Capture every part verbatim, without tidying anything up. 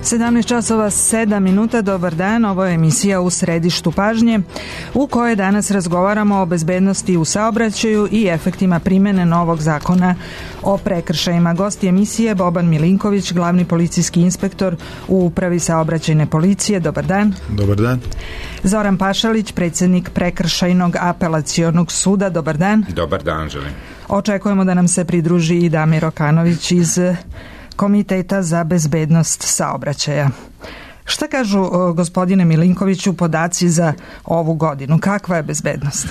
sedamnaest časova sedam minuta, dobar dan, ovo je emisija U središtu pažnje u kojoj danas razgovaramo o bezbednosti u saobraćaju i efektima primene novog zakona o prekršajima. Gosti emisije Boban Milinković, glavni policijski inspektor u Upravi saobraćajne policije, dobar dan. Dobar dan. Zoran Pašalić, predsjednik Prekršajnog apelacionog suda, dobar dan. Dobar dan, želim. Očekujemo da nam se pridruži i Damir Okanović iz Komiteta za bezbednost saobraćaja. Šta kažu, gospodine Milinkoviću, podaci za ovu godinu? Kakva je bezbednost?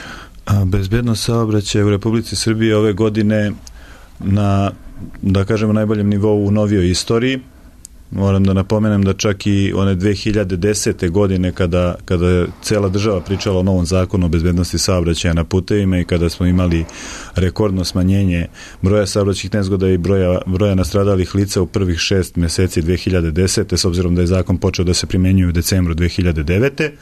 A, bezbednost saobraćaja u Republici Srbije ove godine na, da kažemo, najboljem nivou u novijoj istoriji. Moram da napomenem da čak i one dve hiljade desete godine kada, kada je cela država pričala o novom zakonu o bezbednosti saobraćaja na putevima i kada smo imali rekordno smanjenje broja saobraćajnih nezgoda i broja, broja nastradalih lica u prvih šest meseci dve hiljade desete. s obzirom da je zakon počeo da se primenjuje u decembru dve hiljade devete.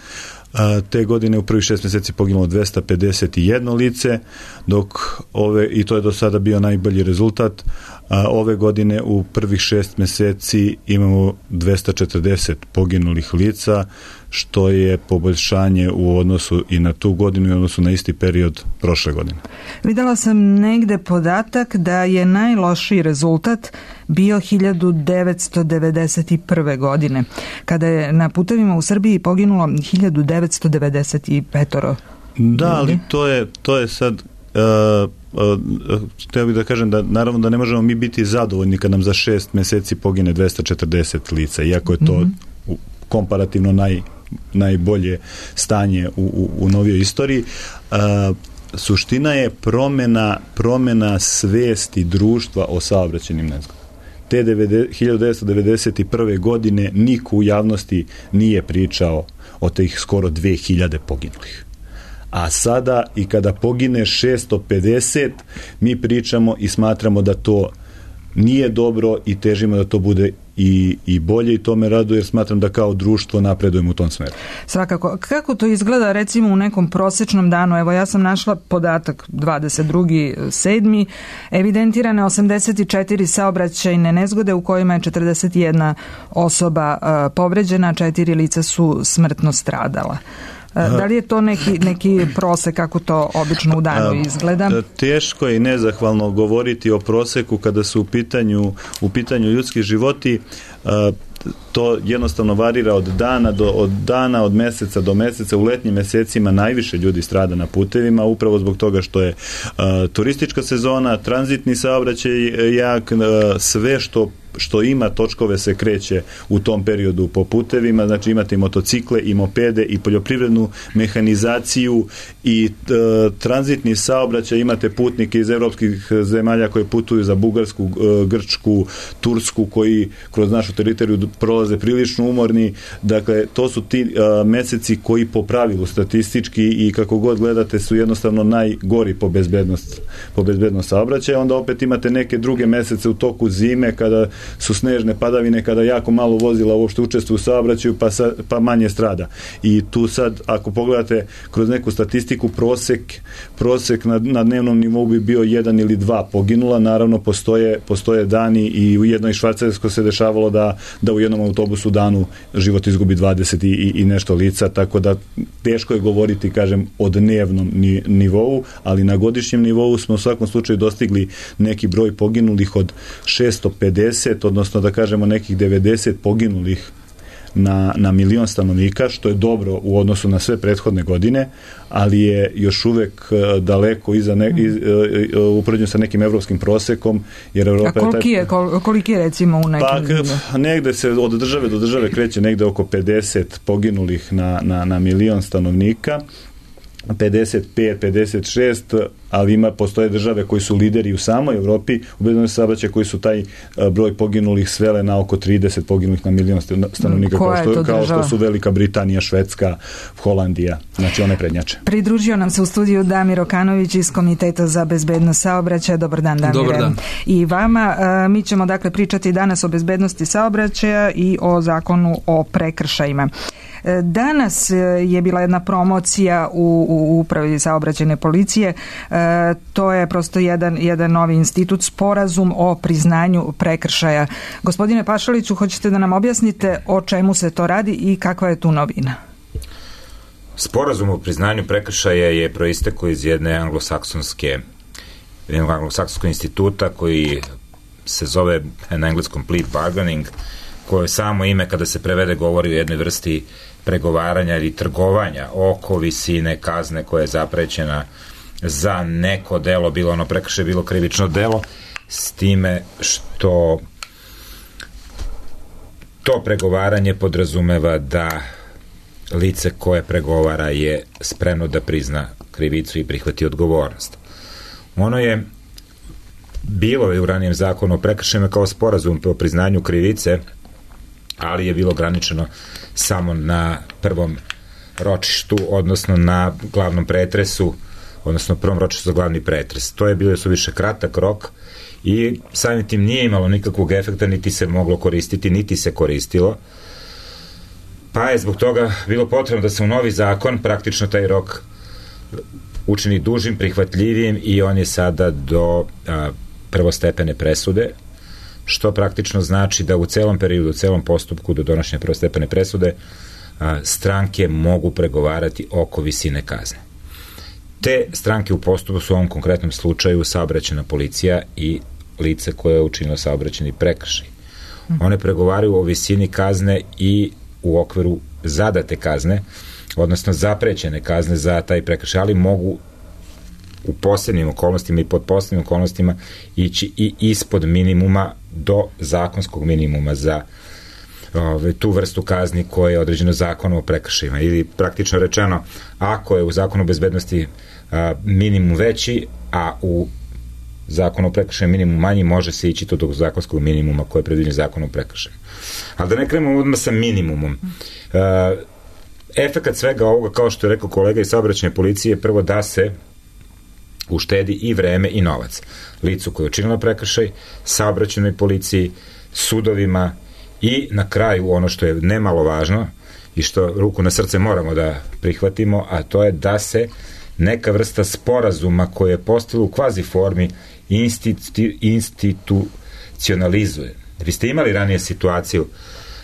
A, te godine u prvih šest meseci poginulo dvesta pedeset jedno lice, dok ove, i to je do sada bio najbolji rezultat, a ove godine u prvih šest meseci imamo dvesta četrdeset poginulih lica, što je poboljšanje u odnosu i na tu godinu i u odnosu na isti period prošle godine. Videla sam negde podatak da je najlošiji rezultat bio hiljadu devetsto devedeset prve. godine, kada je na putevima u Srbiji poginulo hiljadu devetsto devedeset pet. Da, ali to je, to je sad... Uh, htio bih da kažem da naravno da ne možemo mi biti zadovoljni kad nam za šest meseci pogine dvesta četrdeset lica, iako je to mm-hmm. komparativno naj, najbolje stanje u, u, u novijoj istoriji. A, suština je promena, promena svesti društva o saobraćajnim nezgodama. Te hiljadu devetsto devedeset prve. godine niko u javnosti nije pričao o tih skoro dve hiljade poginulih. A sada i kada pogine šesto pedeset, mi pričamo i smatramo da to nije dobro i težimo da to bude i, i bolje, i to me raduje jer smatram da kao društvo napredujemo u tom smeru. Svakako. Kako to izgleda recimo u nekom prosečnom danu? Evo, ja sam našla podatak dvadeset drugi sedmi evidentirane osamdeset četiri saobraćajne nezgode u kojima je četrdeset jedna osoba uh, povređena, četiri lica su smrtno stradala. Da li je to neki, neki prosek kako to obično u danu izgleda? Teško je i nezahvalno govoriti o proseku kada su u pitanju, u pitanju ljudski životi. To jednostavno varira od dana do od dana, od meseca do meseca. U letnjim mesecima najviše ljudi strada na putevima, upravo zbog toga što je uh, turistička sezona, tranzitni saobraćaj jak, uh, sve što što ima točkove se kreće u tom periodu po putevima, znači imate i motocikle i mopede i poljoprivrednu mehanizaciju i e, tranzitni saobraćaj, imate putnike iz evropskih zemalja koji putuju za Bugarsku, e, Grčku, Tursku, koji kroz našu teritoriju prolaze prilično umorni. Dakle, to su ti e, meseci koji po pravilu statistički i kako god gledate su jednostavno najgori po bezbednost, po bezbednost saobraćaja. Onda opet imate neke druge mesece u toku zime kada su snežne padavine, kada jako malo vozila uopšte učestvuju u saobraćaju, pa, sa, pa manje strada. I tu sad, ako pogledate kroz neku statistiku, prosek, prosek na, na dnevnom nivou bi bio jedan ili dva poginula. Naravno, postoje, postoje dani i u jednoj Švajcarskoj se dešavalo da, da u jednom autobusu danu život izgubi dvadeset i, i, i nešto lica, tako da teško je govoriti, kažem, o dnevnom ni, nivou, ali na godišnjem nivou smo u svakom slučaju dostigli neki broj poginulih od šesto pedeset, odnosno da kažemo nekih devedeset poginulih na, na milion stanovnika, što je dobro u odnosu na sve prethodne godine, ali je još uvek daleko iza ne, iz, upoređeno sa nekim evropskim prosekom. Jer Evropa A koliki je, taj... koliki je recimo u nekim... Pa, negde se od države do države kreće negde oko pedeset poginulih na, na, na milion stanovnika, pedeset pet, pedeset šest, ali ima, postoje države koji su lideri u samoj Evropi u bezbednosti saobraćaja koji su taj broj poginulih svele na oko trideset poginulih na milion stanovnika, kao što, kao što su Velika Britanija, Švedska, Holandija, znači one prednjače. Pridružio nam se u studiju Damir Okanović iz Komiteta za bezbednost saobraćaja. Dobar dan, Damire. Dobar dan. I vama. Mi ćemo dakle pričati danas o bezbednosti saobraćaja i o zakonu o prekršajima. Danas je bila jedna promocija u, u upravi saobraćajne policije. To je prosto jedan, jedan novi institut, sporazum o priznanju prekršaja. Gospodine Pašaliću, hoćete da nam objasnite o čemu se to radi i kakva je tu novina? Sporazum o priznanju prekršaja je proistekao iz jedne anglosaksonske jednog anglosaksonskog instituta koji se zove na engleskom plea bargaining, koje samo ime kada se prevede govori o jednoj vrsti pregovaranja ili trgovanja oko visine kazne koja je zaprećena za neko delo, bilo ono prekršaj, bilo krivično delo, s time što to pregovaranje podrazumeva da lice koje pregovara je spremno da prizna krivicu i prihvati odgovornost. Ono je bilo je u ranijem zakonu o prekršajima kao sporazum o priznanju krivice, ali je bilo ograničeno samo na prvom ročištu, odnosno na glavnom pretresu, odnosno prvom ročištu za glavni pretres. To je bilo suviše kratak rok i samim tim nije imalo nikakvog efekta, niti se moglo koristiti, niti se koristilo. Pa je zbog toga bilo potrebno da se u novi zakon praktično taj rok učini dužim, prihvatljivijim i on je sada do a, prvostepene presude, što praktično znači da u celom periodu, u celom postupku do donošenja prvostepene presude a, stranke mogu pregovarati oko visine kazne. Te stranke u postupku su u ovom konkretnom slučaju saobraćajna policija i lice koje je učinilo saobraćajni prekršaj. One pregovaraju o visini kazne i u okviru zadate kazne, odnosno zaprećene kazne za taj prekršaj, ali mogu u posebnim okolnostima i pod posebnim okolnostima ići i ispod minimuma do zakonskog minimuma za ove, tu vrstu kazni koja je određeno zakonom o prekršajima. Ili praktično rečeno, ako je u zakonu o bezbednosti a, minimum veći, a u zakonu o prekršaju minimum manji, može se ići to do zakonskog minimuma koje je predviđen zakonom o prekršaju. Ali da ne krenemo odmah sa minimumom. A, efekat svega ovoga, kao što je rekao kolega iz saobraćajne policije, je prvo da se uštedi i vreme i novac licu koje je učinilo prekršaj, saobraćajnoj policiji, sudovima i na kraju ono što je nemalo važno i što ruku na srce moramo da prihvatimo, a to je da se neka vrsta sporazuma koje je postalo u kvazi formi institu, institucionalizuje. Vi ste imali ranije situaciju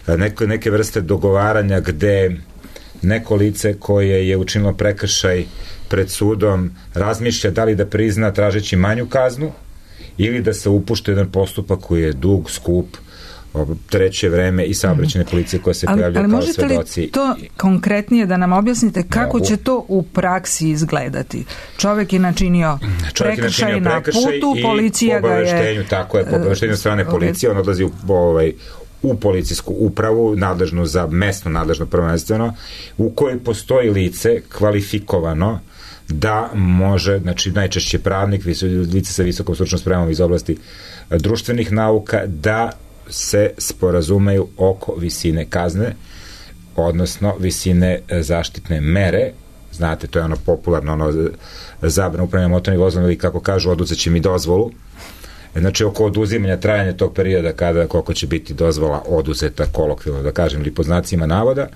neke, neke vrste dogovaranja gde neko lice koje je učinilo prekršaj pred sudom razmišlja da li da prizna tražeći manju kaznu ili da se upušta jedan postupak koji je dug, skup, treće vreme i saobraćajne policije koja se pojavlja kao svedoci. Ali možete li to konkretnije da nam objasnite kako no, će to u praksi izgledati? Čovjek je načinio prekršaj na putu, policija ga je... Tako je, po obaveštenju strane policije, on odlazi u, ovaj, u policijsku upravu, nadležnu za mesno, nadležno prvenstveno, u kojoj postoji lice kvalifikovano da može, znači najčešće pravnik, lice sa visokom stručnom spremom iz oblasti društvenih nauka, da se sporazumeju oko visine kazne, odnosno visine zaštitne mere. Znate, to je ono popularno, ono zabrana upravljanja motornim vozilom, ili kako kažu, oduzeće mi dozvolu. Znači, oko oduzimanja trajanja tog perioda kada koliko će biti dozvola oduzeta, kolokvijalno da kažem, ili po znacima navoda.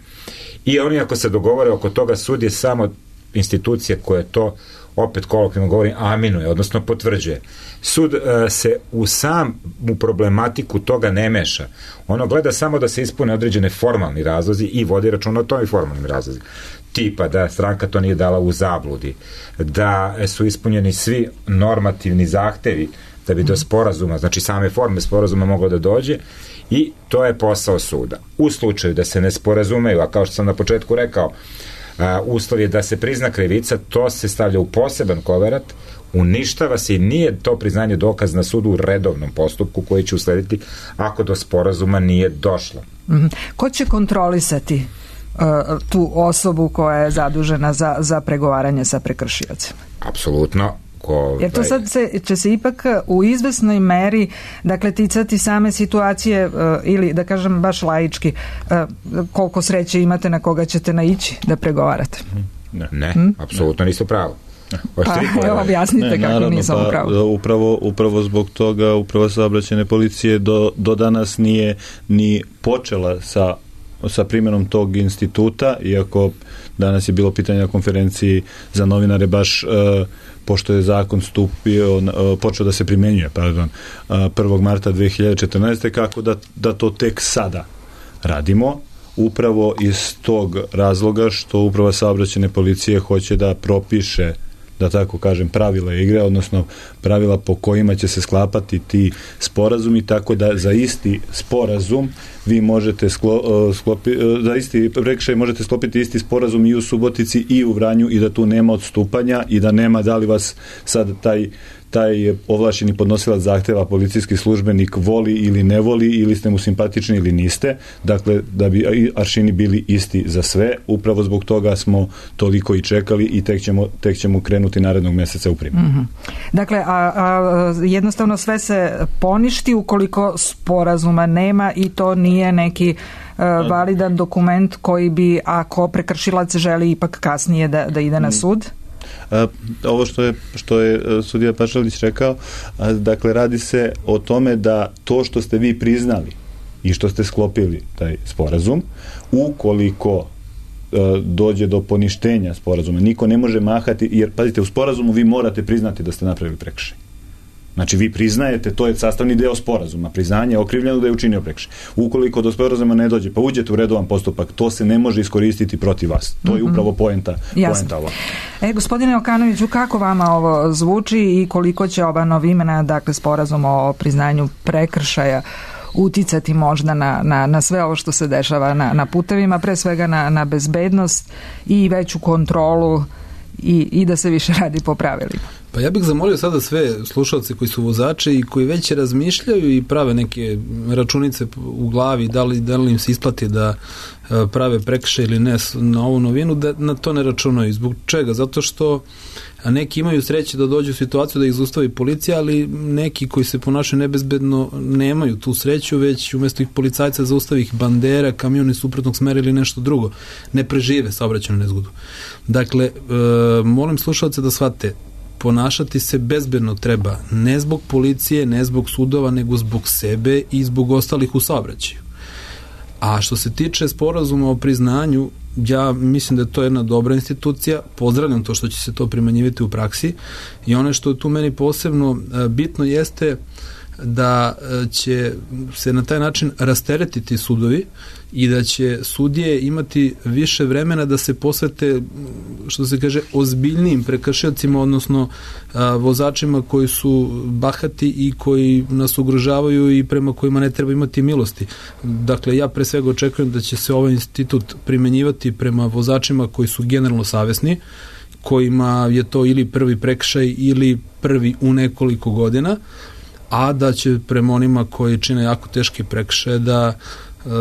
I oni ako se dogovore oko toga, sud je samo institucija koja to, opet kolokvijalno govorim, aminuje, odnosno potvrđuje. Sud uh, se u sam u problematiku toga ne meša. Ono gleda samo da se ispune određene formalni razlozi i vodi računa o tom i formalnim razlozi. Tipa da stranka to nije dala u zabludi, da su ispunjeni svi normativni zahtevi da bi do sporazuma, znači same forme sporazuma moglo da dođe, i to je posao suda. U slučaju da se ne sporazumeju, a kao što sam na početku rekao, a, uslov je da se prizna krivica, to se stavlja u poseban koverat, uništava se i nije to priznanje dokaz na sudu u redovnom postupku koji će uslediti ako do sporazuma nije došlo. Mm-hmm. Ko će kontrolisati uh, tu osobu koja je zadužena za, za pregovaranje sa prekršiocima? Apsolutno. Ko, Jer to sad se, će se ipak u izvesnoj meri, dakle, ticati same situacije, uh, ili da kažem baš laički, uh, koliko sreće imate na koga ćete naići da pregovarate. Ne, ne hmm? apsolutno niste pravo. Pa, evo, objasnite ne, kako naravno, nisam pa, upravo. Upravo, upravo zbog toga upravo saobraćajne policije do, do danas nije ni počela sa sa primjenom tog instituta, iako danas je bilo pitanje na konferenciji za novinare baš uh, pošto je zakon stupio, uh, počeo da se primenjuje, pardon, uh, prvog marta dve hiljade četrnaeste. kako da, da to tek sada radimo, upravo iz tog razloga što uprava saobraćajne policije hoće da propiše, da tako kažem, pravila igre, odnosno pravila po kojima će se sklapati ti sporazumi, tako da za isti sporazum vi možete sklo, sklopi, za isti prekršaj možete sklopiti isti sporazum i u Subotici i u Vranju i da tu nema odstupanja i da nema da li vas sad taj taj ovlašćeni podnosilac zahteva policijski službenik voli ili ne voli, ili ste mu simpatični ili niste, dakle da bi aršini bili isti za sve. Upravo zbog toga smo toliko i čekali i tek ćemo, tek ćemo krenuti narednog meseca u primjenu. Mm-hmm. Dakle, a, a jednostavno sve se poništi ukoliko sporazuma nema i to nije neki a, validan dokument koji bi, ako prekršilac želi ipak kasnije da, da ide na sud? A, ovo što je, što je sudija Pašalić rekao, a, dakle radi se o tome da to što ste vi priznali i što ste sklopili taj sporazum, ukoliko a, dođe do poništenja sporazuma, niko ne može mahati, jer pazite, u sporazumu vi morate priznati da ste napravili prekršaj. Znači vi priznajete, to je sastavni deo sporazuma, priznanje okrivljenog da je učinio prekršaj. Ukoliko do sporazuma ne dođe, pa uđete u redovan postupak, to se ne može iskoristiti protiv vas. To je upravo poenta, poenta ovo. E, gospodine Okanoviću, kako vama ovo zvuči i koliko će ova novimena, dakle sporazum o priznanju prekršaja, uticati možda na, na, na sve ovo što se dešava na, na putevima, pre svega na, na bezbednost i veću kontrolu i, i da se više radi po pravilima? Pa ja bih zamolio sada sve slušalce koji su vozači i koji već razmišljaju i prave neke računice u glavi, da li, da li im se isplati da prave prekršaj ili ne na ovu novinu, da na to ne računaju. Zbog čega? Zato što neki imaju sreće da dođu u situaciju da ih zaustavi policija, ali neki koji se ponašaju nebezbedno nemaju tu sreću, već umjesto ih policajca zaustavi ih bandera, kamioni suprotnog smera ili nešto drugo. Ne prežive saobraćajnu nezgodu. Dakle, e, molim slušalce da shvate, ponašati se bezbedno treba, ne zbog policije, ne zbog sudova, nego zbog sebe i zbog ostalih u saobraćaju. A što se tiče sporazuma o priznanju, ja mislim da je to jedna dobra institucija, pozdravljam to što će se to primenjivati u praksi i ono što je tu meni posebno bitno jeste da će se na taj način rasteretiti sudovi i da će sudije imati više vremena da se posvete, što se kaže, ozbiljnijim prekršiocima, odnosno a, vozačima koji su bahati i koji nas ugrožavaju i prema kojima ne treba imati milosti. Dakle, ja pre svega očekujem da će se ovaj institut primenjivati prema vozačima koji su generalno savesni, kojima je to ili prvi prekršaj ili prvi u nekoliko godina, a da će prema onima koji čine jako teške prekršaje da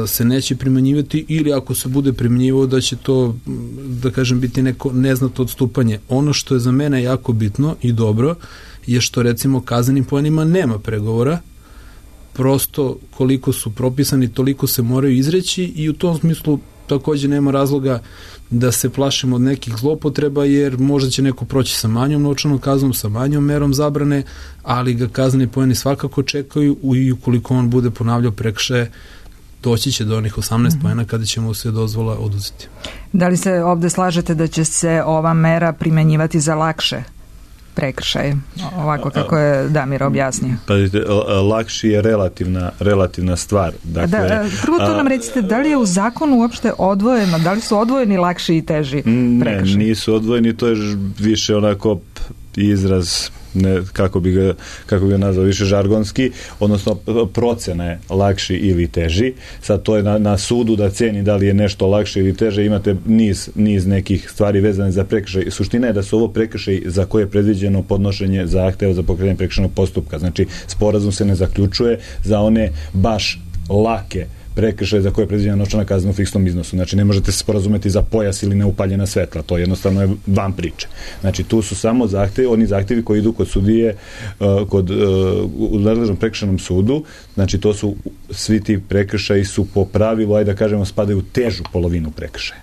se neće primenjivati ili ako se bude primenjivao da će to, da kažem, biti neko neznatno odstupanje. Ono što je za mene jako bitno i dobro je što recimo kaznenim poenima nema pregovora, prosto koliko su propisani toliko se moraju izreći i u tom smislu također nema razloga da se plašimo od nekih zlopotreba, jer možda će neko proći sa manjom novčanom kaznom, sa manjom merom zabrane, ali ga kazneni poeni svakako čekaju i ukoliko on bude ponavljao prekršaje, doći će do onih osamnaest mm-hmm. poena kada ćemo sve dozvola oduzeti. Da li se ovde slažete da će se ova mera primenjivati za lakše prekršaje, ovako kako je Damir objasnio? Pazite, lakši je relativna, relativna stvar. Dakle, da, prvo to nam recite, da li je u zakonu uopšte odvojeno, da li su odvojeni lakši i teži prekršaje? Ne, nisu odvojeni, to je više onako izraz, ne, kako bi ga, kako bi ga nazvao, više žargonski, odnosno procena je lakši ili teži. Sad to je na, na sudu da ceni da li je nešto lakše ili teže, imate niz, niz nekih stvari vezane za prekršaj. Suština je da su ovo prekršaj za koje je predviđeno podnošenje zahteva za pokretanje prekršajnog postupka. Znači, sporazum se ne zaključuje za one baš lake prekršaj za koje je predviđena novčana kazna u fiksnom iznosu. Znači, ne možete se sporazumeti za pojas ili neupaljena svetla. To jednostavno je van priče. Znači, tu su samo zahtevi, oni zahtevi koji idu kod sudije, uh, kod, uh, u nadležnom prekršajnom sudu. Znači, to su, svi ti prekršaji su po pravilu, ajde da kažemo, spadaju u težu polovinu prekršaja.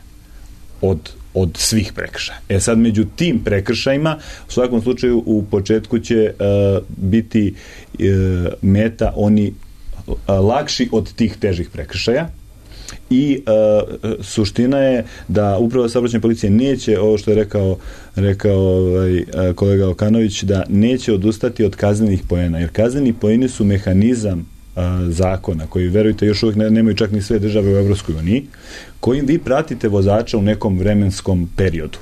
Od od svih prekršaja. E sad, među tim prekršajima, u svakom slučaju, u početku će uh, biti uh, meta oni lakši od tih težih prekršaja, i uh, suština je da upravo saobraćajna policija neće, ovo što je rekao, rekao ovaj, kolega Okanović, da neće odustati od kaznenih poena, jer kazneni poeni su mehanizam uh, zakona, koji, verujte, još uvijek ne, nemaju čak ni sve države u Evropskoj uniji, kojim vi pratite vozača u nekom vremenskom periodu.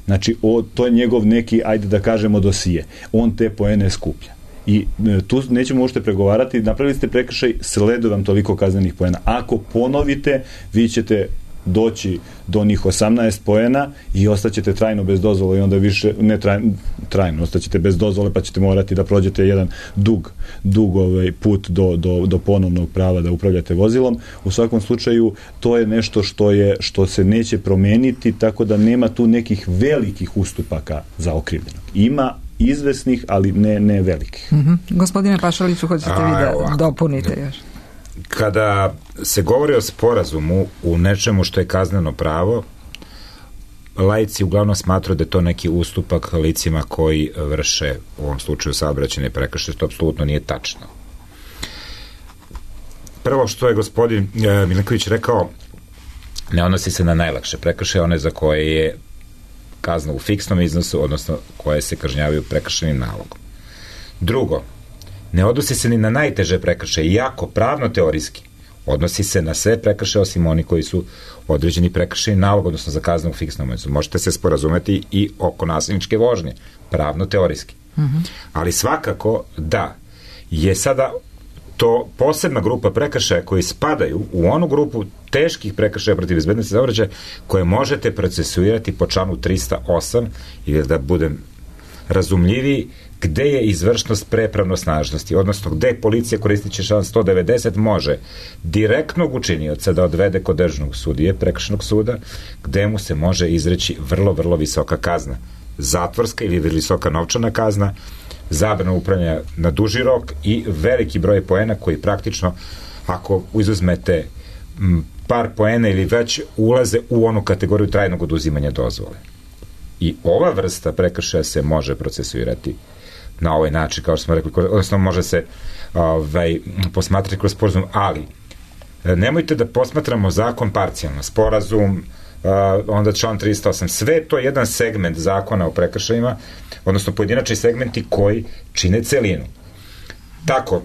Znači, o, to je njegov neki, ajde da kažemo, dosije. On te poene skuplja. I e, tu nećemo uopšte pregovarati, napravili ste prekršaj, sleduje vam toliko kaznenih poena. Ako ponovite, vi ćete doći do njih osamnaest poena i ostaćete trajno bez dozvole i onda više, ne trajno, trajno ostaćete bez dozvole, pa ćete morati da prođete jedan dug, dug ovaj put do, do, do ponovnog prava da upravljate vozilom. U svakom slučaju, to je nešto što je, što se neće promeniti, tako da nema tu nekih velikih ustupaka za okrivljenog. Ima izvesnih, ali ne, ne velikih. Mm-hmm. Gospodine Pašaliću, hoćete vi da ovako dopunite još? Kada se govori o sporazumu u nečemu što je kazneno pravo, laici uglavnom smatruju da je to neki ustupak licima koji vrše, u ovom slučaju, saobraćajne prekršaje, što apsolutno nije tačno. Prvo što je gospodin e, Milinković rekao, ne odnosi se na najlakše prekršaje, one za koje je kazna u fiksnom iznosu, odnosno koje se kažnjavaju prekršajnim nalogom. Drugo, ne odnosi se ni na najteže prekršaje, iako pravno teorijski odnosi se na sve prekršaje osim oni koji su određeni prekršajni nalog, odnosno za kaznu u fiksnom iznosu. Možete se sporazumeti i oko nasilničke vožnje, pravno teorijski. Mm-hmm. Ali svakako da je sada to posebna grupa prekršaja koji spadaju u onu grupu teških prekršaja protiv bezbednosti saobraćaja koje možete procesuirati po članu trista osam, ili da budem razumljiviji, gde je izvršnost pre pravnosnažnosti, odnosno gde policija koristiće član sto devedeset može direktnog učinioca da odvede kod državnog sudije, prekršajnog suda, gde mu se može izreći vrlo, vrlo visoka kazna. Zatvorska ili visoka novčana kazna, zabrana upravljanja na duži rok i veliki broj poena koji praktično, ako izuzmete par poena ili već, ulaze u onu kategoriju trajnog oduzimanja dozvole. I ova vrsta prekršaja se može procesuirati na ovaj način, kao što smo rekli, odnosno može se ovaj, posmatrati kroz sporazum, ali nemojte da posmatramo zakon parcijalno, sporazum, onda član trista osam, sve to je jedan segment zakona o prekršajima, odnosno pojedinačni segmenti koji čine celinu. Tako,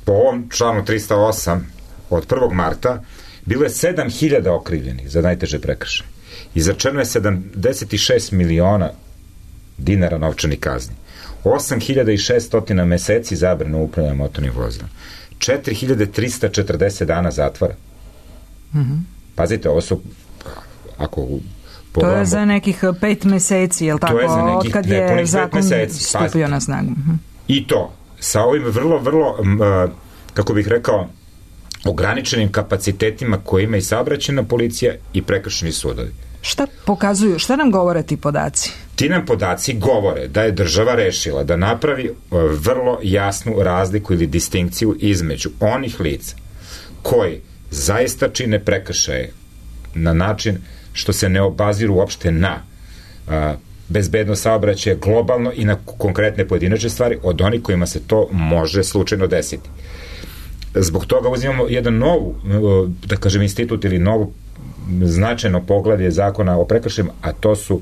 po ovom članu trista osam od prvog marta bilo je sedam hiljada okrivljenih za najteže prekršaje. Izrečeno je sedamdeset šest miliona dinara novčanih kazni, osam hiljada šessto meseci zabrane upravljanja motornim vozilom, četiri hiljade trista četrdeset dana zatvora. Mm-hmm. Pazite, ovo su, ako pogledamo, to je za nekih pet meseci, je li tako? To je za nekih otkad je zakon meseci, stupio pazite. Na snagu. Mm-hmm. I to, sa ovim vrlo, vrlo, uh, kako bih rekao, ograničenim kapacitetima koje ima i saobraćajna policija i prekršajni sudovi. Šta pokazuju, šta nam govore ti podaci? Ti nam podaci govore da je država rešila da napravi vrlo jasnu razliku ili distinkciju između onih lica koji zaista čine prekršaje na način što se ne obaziru uopšte na a, bezbednost saobraćaja globalno i na konkretne pojedinačne stvari od onih kojima se to može slučajno desiti. Zbog toga uzimamo jedan novu, da kažem, institut ili novu značajno poglavlje zakona o prekršajima, a to su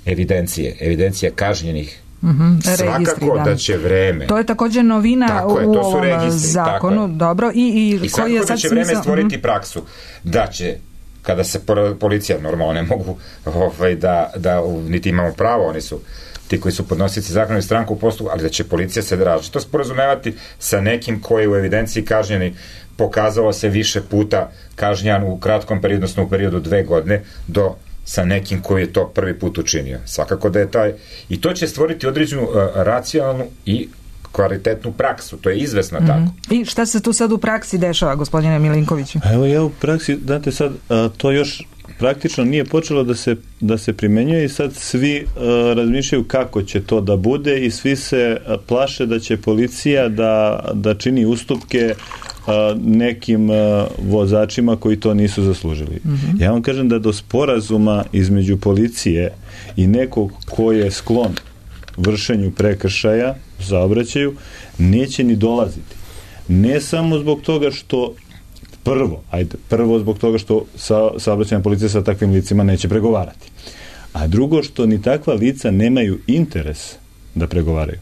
evidencije, evidencija kažnjenih. Mm-hmm, svakako registri, da. da će vreme. To je također novina tako je, u to su ovom registri, zakonu. Dobro, i, i, I svakako je da će vreme smisla... stvoriti mm-hmm. praksu da će, kada se policija normalno ne mogu ovaj, da, da niti imamo pravo, oni su ti koji su podnosici zakona i stranku u postupku, ali da će policija se različito sporazumevati sa nekim koji u evidenciji kažnjeni pokazalo se više puta kažnjan u kratkom periodu, odnosno u periodu dve godine, do sa nekim koji je to prvi put učinio. Svakako da je taj... I to će stvoriti određenu uh, racionalnu i kvalitetnu praksu. To je izvesno mm-hmm. tako. I šta se tu sad u praksi dešava, gospodine Milinkoviću? Evo ja u praksi, znate sad, a, to još praktično nije počelo da se, da se primenjuje i sad svi a, razmišljaju kako će to da bude i svi se a, plaše da će policija da, da čini ustupke a, nekim a, vozačima koji to nisu zaslužili. Mm-hmm. Ja vam kažem da do sporazuma između policije i nekog ko je sklon vršenju prekršaja saobraćaju neće ni dolaziti. Ne samo zbog toga što Prvo, ajde, prvo zbog toga što sa, saobraćajna policija sa takvim licima neće pregovarati. A drugo, što ni takva lica nemaju interes da pregovaraju.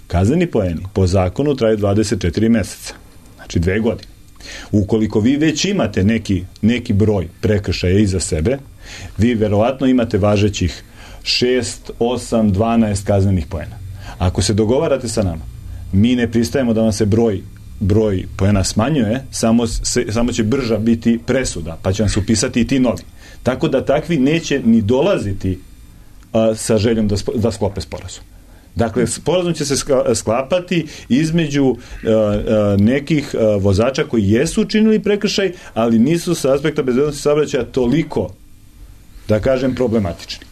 Kazneni poeni po zakonu traju dvadeset četiri meseca, znači dve godine. Ukoliko vi već imate neki, neki broj prekršaja iza sebe, vi verovatno imate važećih šest, osam, dvanaest kaznenih poena. Ako se dogovarate sa nama, mi ne pristajemo da vam se broj broj poena smanjuje, samo, se, samo će brža biti presuda, pa će vam se upisati i ti novi. Tako da takvi neće ni dolaziti a, sa željom da, da sklope sporazum. Dakle, sporazum će se sklapati između a, a, nekih a, vozača koji jesu učinili prekršaj, ali nisu sa aspekta bezbednosti saobraćaja toliko, da kažem, problematični.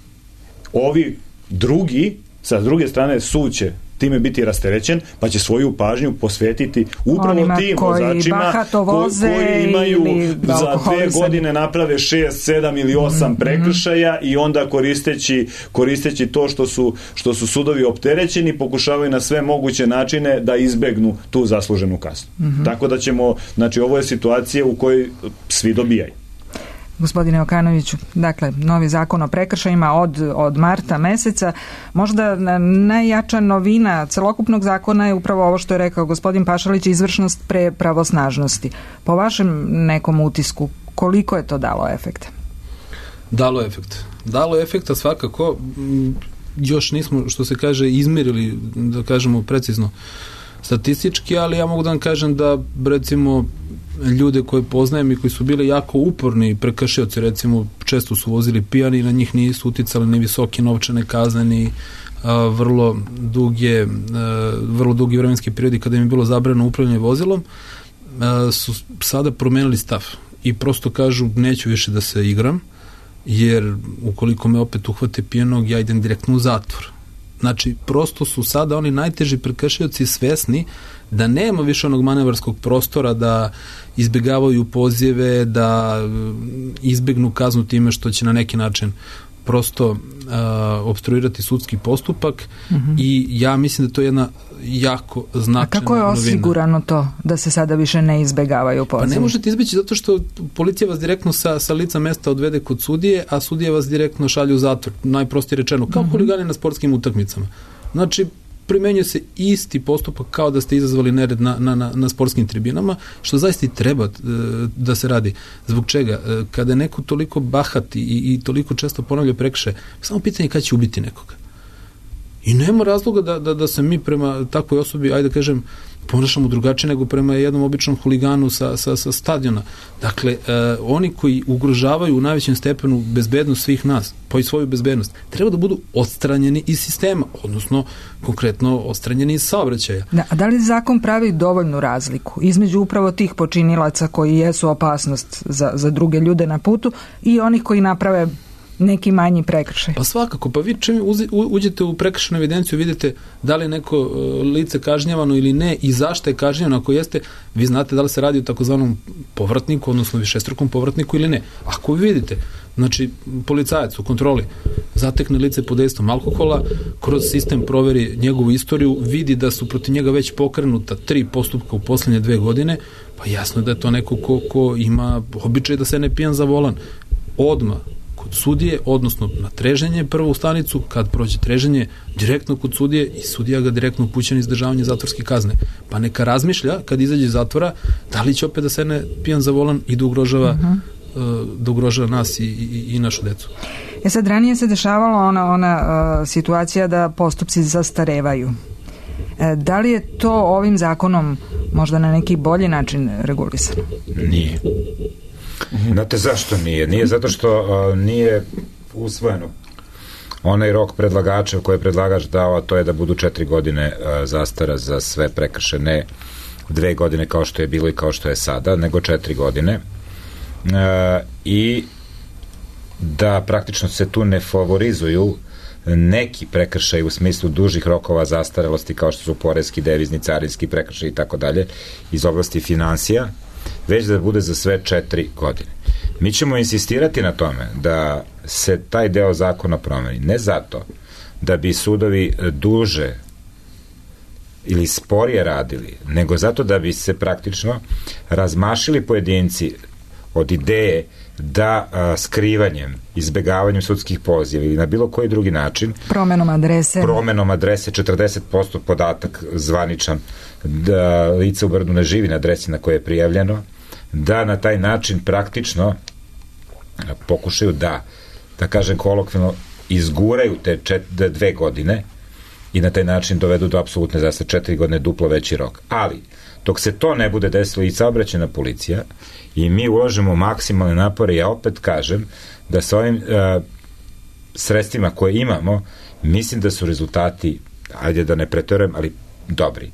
Ovi drugi, sa druge strane, sud će time biti rasterećen, pa će svoju pažnju posvetiti upravo onima tim vozačima ko, koji imaju za dve godine naprave šest, sedam ili osam mm-hmm. prekršaja i onda koristeći, koristeći to što su, što su sudovi opterećeni, pokušavaju na sve moguće načine da izbegnu tu zasluženu kaznu. Mm-hmm. Tako da ćemo, znači ovo je situacija u kojoj svi dobijaju. Gospodine Okanoviću, dakle, novi zakon o prekršajima od, od marta meseca. Možda najjača novina celokupnog zakona je upravo ovo što je rekao gospodin Pašalić, izvršnost pre pravosnažnosti. Po vašem nekom utisku, koliko je to dalo efekta? Dalo efekt. Dalo efekta svakako. Još nismo, što se kaže, izmerili, da kažemo precizno, statistički, ali ja mogu da vam kažem da, recimo, ljude koje poznajem i koji su bili jako uporni prekršioci, recimo, često su vozili pijani i na njih nisu uticali ni visoke novčane kazne, ni a, vrlo duge, a, vrlo dugi vremenski periodi kada im je bilo zabranjeno upravljanje vozilom, a, su sada promenili stav i prosto kažu neću više da se igram, jer ukoliko me opet uhvate pijanog, ja idem direktno u zatvor. Znači, prosto su sada oni najteži prekršioci svesni da nema više onog manevarskog prostora da izbjegavaju pozijeve, da izbegnu kaznu time što će na neki način prosto uh, opstruirati sudski postupak mm-hmm. i ja mislim da to je jedna jako značajna novina. A kako je osigurano novina. To da se sada više ne izbegavaju pozive? Pa ne možete izbeći zato što policija vas direktno sa, sa lica mesta odvede kod sudije, a sudije vas direktno šalju u zatvor, najprostije rečeno, kao mm-hmm. huligani na sportskim utakmicama. Znači, primenjuje se isti postupak kao da ste izazvali nered na, na, na, na sportskim tribinama, što zaista i treba e, da se radi. Zbog čega? E, kada je neko toliko bahat i, i toliko često ponavlja prekršaje, samo pitanje kada će ubiti nekoga. I nema razloga da, da, da se mi prema takvoj osobi, ajde da kažem, ponašamo drugačije nego prema jednom običnom huliganu sa, sa, sa stadiona. Dakle, e, oni koji ugrožavaju u najvećem stepenu bezbednost svih nas, pa i svoju bezbednost, treba da budu odstranjeni iz sistema, odnosno konkretno odstranjeni iz saobraćaja. Da, a da li zakon pravi dovoljnu razliku između upravo tih počinilaca koji jesu opasnost za, za druge ljude na putu i onih koji naprave neki manji prekršaj? Pa svakako, pa vi čim uđete u prekršajnu evidenciju, vidite da li je neko lice kažnjavano ili ne i zašto je kažnjavano, ako jeste, vi znate da li se radi o takozvanom povratniku, odnosno višestrukom povratniku ili ne. Ako vi vidite, znači policajac u kontroli zatekne lice pod dejstvom alkohola, kroz sistem proveri njegovu istoriju, vidi da su protiv njega već pokrenuta tri postupka u posljednje dve godine, pa jasno je da je to neko ko, ko ima običaj da se ne pijan za volan. Odmah kod sudije, odnosno na treženje prvo u stanicu, kad prođe treženje direktno kod sudije i sudija ga direktno upućuje na izdržavanje zatvorske kazne. Pa neka razmišlja kad izađe iz zatvora da li će opet da se ne pijan za volan i da ugrožava, uh-huh. uh, da ugrožava nas i, i, i našu decu. E sad, ranije se dešavalo ona, ona uh, situacija da postupci zastarevaju. E, da li je to ovim zakonom možda na neki bolji način regulisano? Nije. Znate zašto nije? Nije zato što uh, nije usvojeno onaj rok predlagača koji je predlagač dao, a to je da budu četiri godine uh, zastara za sve prekršaje, ne dve godine kao što je bilo i kao što je sada, nego četiri godine. Uh, I da praktično se tu ne favorizuju neki prekršaj u smislu dužih rokova zastarelosti kao što su poreski, devizni, carinski prekršaj i tako dalje iz oblasti finansija, već da bude za sve četiri godine. Mi ćemo insistirati na tome da se taj deo zakona promeni. Ne zato da bi sudovi duže ili sporije radili, nego zato da bi se praktično razmašili pojedinci od ideje da a, skrivanjem, izbegavanjem sudskih poziva ili na bilo koji drugi način, promenom adrese, promenom adrese četrdeset posto podatak zvaničan, da lice u Brdu ne živi na adresi na koje je prijavljeno, da na taj način praktično pokušaju da, da kažem kolokvijalno, izguraju te čet, dve godine i na taj način dovedu do apsolutne zastare, četiri godine duplo veći rok. Ali, dok se to ne bude desilo i saobraćajna policija i mi ulažemo maksimalne napore, ja opet kažem da sa ovim uh, sredstvima koje imamo, mislim da su rezultati, ajde da ne preterujem, ali dobri.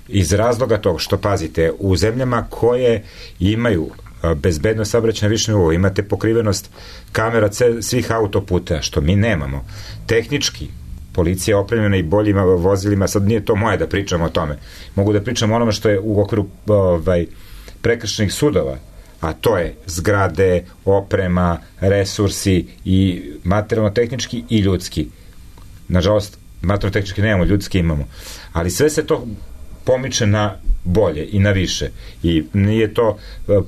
Iz razloga toga što, pazite, u zemljama koje imaju bezbednost saobraćaja na višem nivou, imate pokrivenost kamera svih autoputa, što mi nemamo. Tehnički, policija je opremljena i boljima vozilima, sad nije to moje da pričam o tome. Mogu da pričam o onome što je u okviru ovaj, prekršajnih sudova, a to je zgrade, oprema, resursi i materijalno-tehnički i ljudski. Nažalost, materijalno-tehnički nemamo, ljudski imamo. Ali sve se to pomiče na bolje i na više. I nije to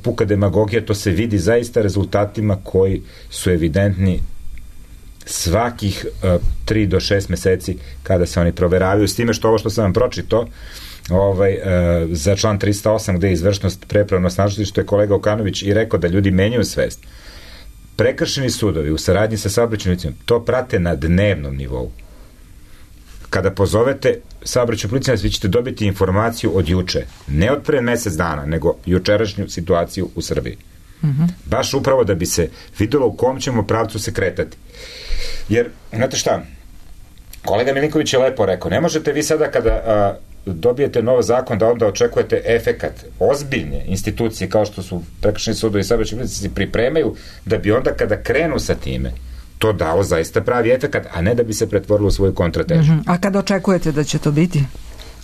puka demagogija, to se vidi zaista rezultatima koji su evidentni svakih tri do šest meseci kada se oni proveravaju, s time što ovo što sam vam pročito ovaj, uh, za član trista osam gde je izvršnost prepravnost snažnosti, što je kolega Okanović i rekao da ljudi menjaju svest. Prekršeni sudovi u saradnji sa saobraćajnim policijom to prate na dnevnom nivou. Kada pozovete saobraćajnu policiju, vi ćete dobiti informaciju od juče, ne od pre mesec dana, nego jučerašnju situaciju u Srbiji. Mm-hmm. Baš upravo da bi se videlo u kom ćemo pravcu se kretati. Jer, znate šta, kolega Milinković je lepo rekao, ne možete vi sada kada a, dobijete nov zakon da onda očekujete efekat. Ozbiljne institucije kao što su prekršajni sudovi i saobraćajne policije se pripremaju da bi onda kada krenu sa time to dao zaista pravi efekat, a ne da bi se pretvorilo u svoju kontratežu. Mm-hmm. A kada očekujete da će to biti?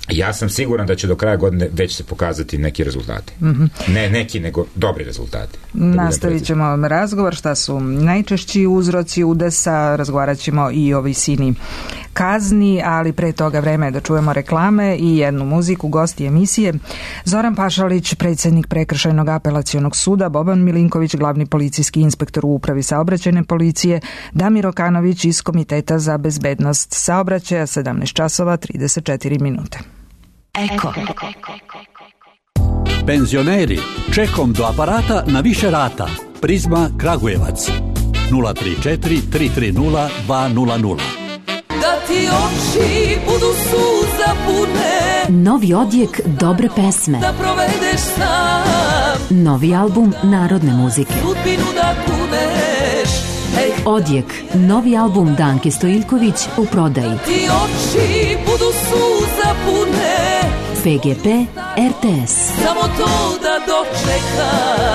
Ja sam siguran da će do kraja godine već se pokazati neki rezultati. Mm-hmm. Ne neki, nego dobri rezultati. Nastavit ćemo razgovor šta su najčešći uzroci udesa, razgovarat ćemo i o visini kazni, ali pre toga vreme je da čujemo reklame i jednu muziku. Gosti emisije Zoran Pašalić, predsjednik Prekršajnog apelacionog suda, Boban Milinković, glavni policijski inspektor u Upravi saobraćajne policije, Damir Okanović iz Komiteta za bezbednost saobraćaja, sedamnaest časova trideset četiri minute. Eko. Penzioneri, čekom do aparata na više rata. Prizma Kragujevac. nula tri četiri tri tri nula dva nula nula. Da ti oči budu suza pune. Novi odjek dobre pesme. Da provedeš sam. Novi album narodne muzike. Sudbinu da kuneš. Ej. Odjek, novi album Danke Stojiljković u prodaji. Da ti oči budu suza pune. P G P R T S. Samo to da dočekam.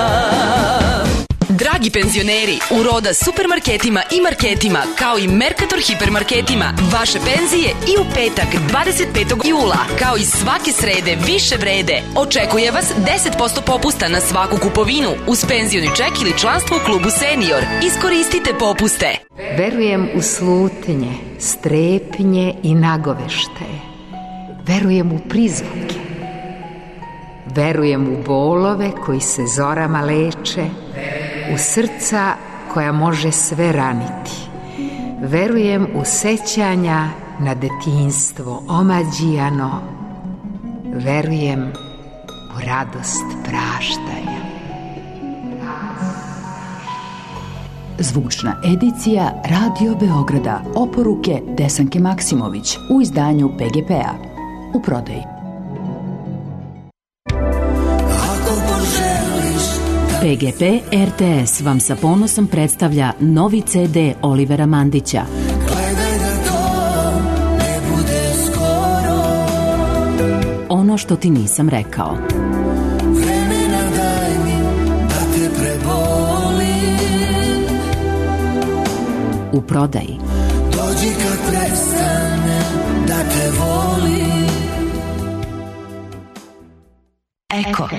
Dragi penzioneri, u Roda supermarketima i marketima, kao i Mercator hipermarketima, vaše penzije i u petak dvadeset petog jula, kao i svake srede više vrede. Očekuje vas deset posto popusta na svaku kupovinu uz penzioni ček ili članstvo u klubu Senior. Iskoristite popuste. Verujem u slutnje, strepnje i nagoveštaje. Verujem u prizvuke. Verujem u bolove koji se zorama leče, u srca koja može sve raniti. Verujem u sećanja na detinjstvo omađijano. Verujem u radost praštanja. Zvučna edicija Radio Beograda. Oporuke Desanke Maksimović u izdanju P G P-a. U prodaji. P G P R T S vam sa ponosom predstavlja novi C D Olivera Mandića. Gledaj da to ne bude skoro. Ono što ti nisam rekao. Vremena daj mi da te prebolim. U prodaji. Dođi kad prestane da te volim. Eko.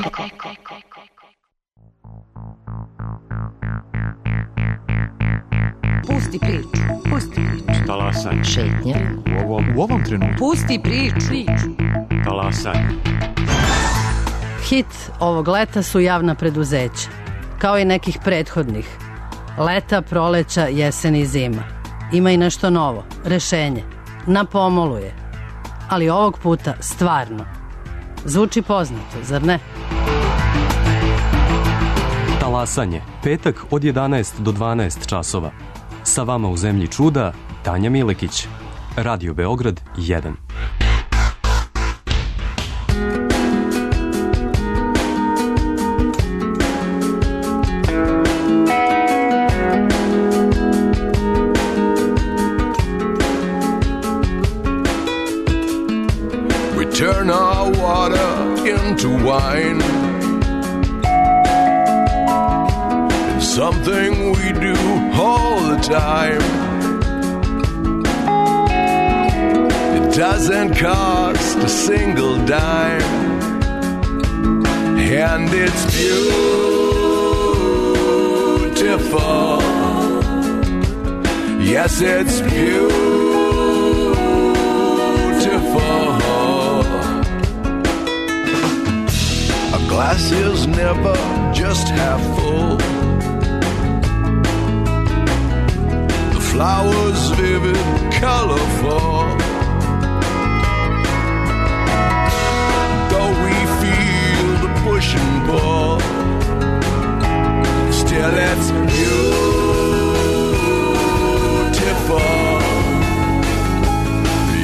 Pusti priču, pusti priču. Talasaj. Šetnje. U ovom, u ovom trenutku. Pusti priču. priču. Talasanje. Hit ovog leta su javna preduzeća, kao i nekih prethodnih. Leta, proleća, jesen i zima. Ima i nešto novo, rešenje. Na pomolu je. Ali ovog puta stvarno. Zvuči poznato, zar ne? Talasanje, petak od jedanaest do dvanaest časova. Sa vama u Zemlji čuda, Tanja Milekić. Radio Beograd jedan. Turn our water into wine. It's something we do all the time. It doesn't cost a single dime, and it's beautiful. Yes, it's beautiful. Glass is never just half full. The flowers vivid, colorful. Though we feel the push and pull, still it's beautiful.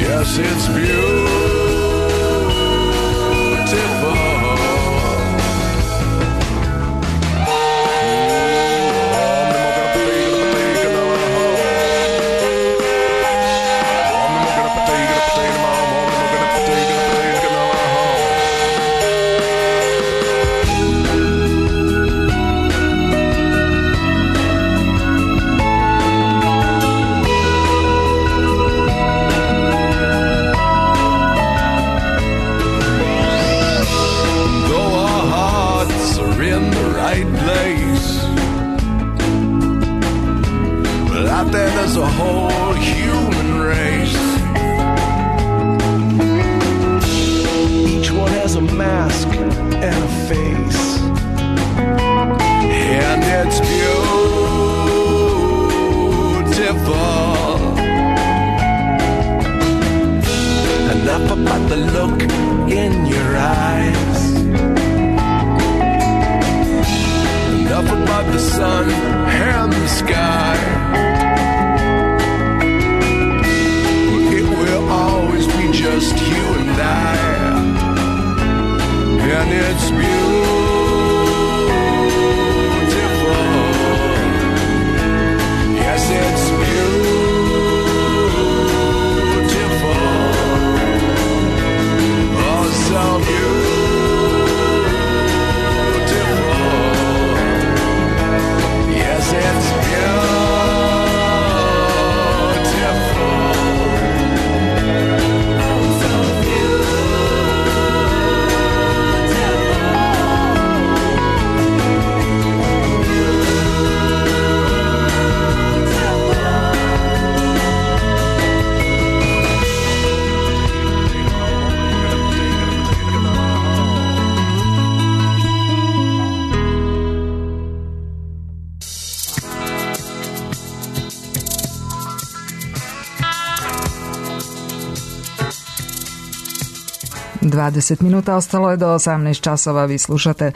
Yes, it's beautiful. There's a whole human race. Each one has a mask and a face, and it's beautiful. Enough about the look in your eyes, enough about the sun and the sky. Always be just you and I, and it's beautiful. Yes, it's beautiful. Oh, so beautiful. Yes, it's beautiful. dvadeset minuta ostalo je do osamnaest časova. Vi slušate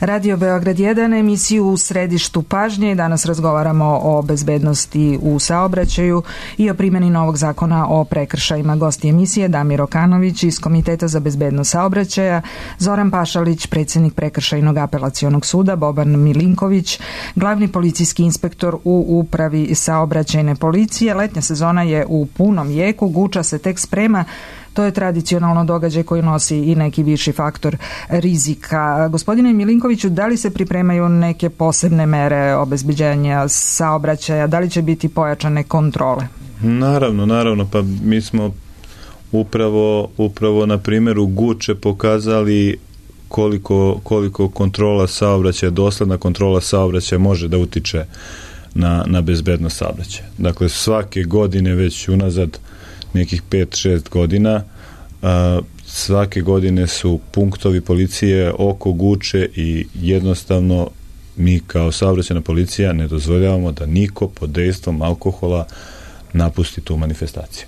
Radio Beograd jedan, emisiju U središtu pažnje. Danas razgovaramo o bezbednosti u saobraćaju i o primjeni novog zakona o prekršajima. Gosti emisije Damir Okanović iz Komiteta za bezbednost saobraćaja, Zoran Pašalić, predsjednik Prekršajnog apelacionog suda, Boban Milinković, glavni policijski inspektor u Upravi saobraćajne policije. Letnja sezona je u punom jeku, Guča se tek sprema. To je tradicionalno događaj koji nosi i neki viši faktor rizika. Gospodine Milinkoviću, da li se pripremaju neke posebne mere obezbeđenja saobraćaja? Da li će biti pojačane kontrole? Naravno, naravno. Pa mi smo upravo, upravo na primjeru Guče pokazali koliko, koliko kontrola saobraćaja, dosledna kontrola saobraćaja može da utiče na, na bezbednost saobraćaja. Dakle, svake godine već unazad nekih pet šest godina a, svake godine su punktovi policije oko Guče i jednostavno mi kao saobraćajna policija ne dozvoljavamo da niko pod dejstvom alkohola napusti tu manifestaciju.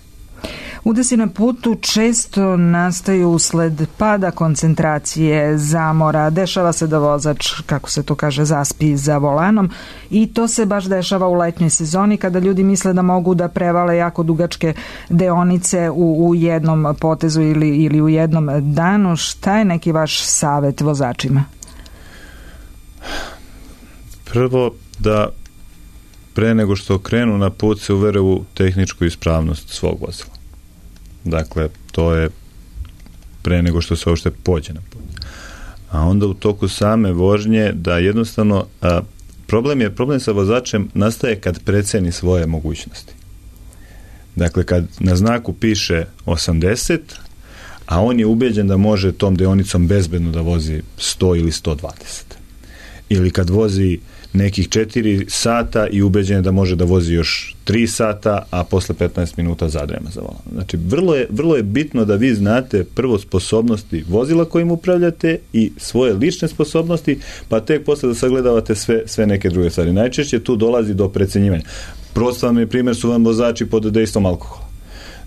Udesi na putu često nastaju usled pada koncentracije, zamora, dešava se da vozač, kako se to kaže, zaspi za volanom i to se baš dešava u letnjoj sezoni kada ljudi misle da mogu da prevale jako dugačke deonice u, u jednom potezu ili, ili u jednom danu. Šta je neki vaš savet vozačima? Prvo, da pre nego što krenu na put se uvere u tehničku ispravnost svog vozila. Dakle, to je pre nego što se uopšte pođe na put. A onda u toku same vožnje da jednostavno a, problem je, problem sa vozačem nastaje kad preceni svoje mogućnosti. Dakle, kad na znaku piše osamdeset, a on je ubeđen da može tom deonicom bezbedno da vozi sto ili sto dvadeset. Ili kad vozi nekih četiri sata i ubeđen je da može da vozi još tri sata, a posle petnaest minuta zadrema za volan. Znači, vrlo je, vrlo je bitno da vi znate prvo sposobnosti vozila kojim upravljate i svoje lične sposobnosti, pa tek posle da sagledavate sve, sve neke druge stvari. Najčešće tu dolazi do precenjivanja. Prostavan je primjer su vam vozači pod dejstvom alkohola.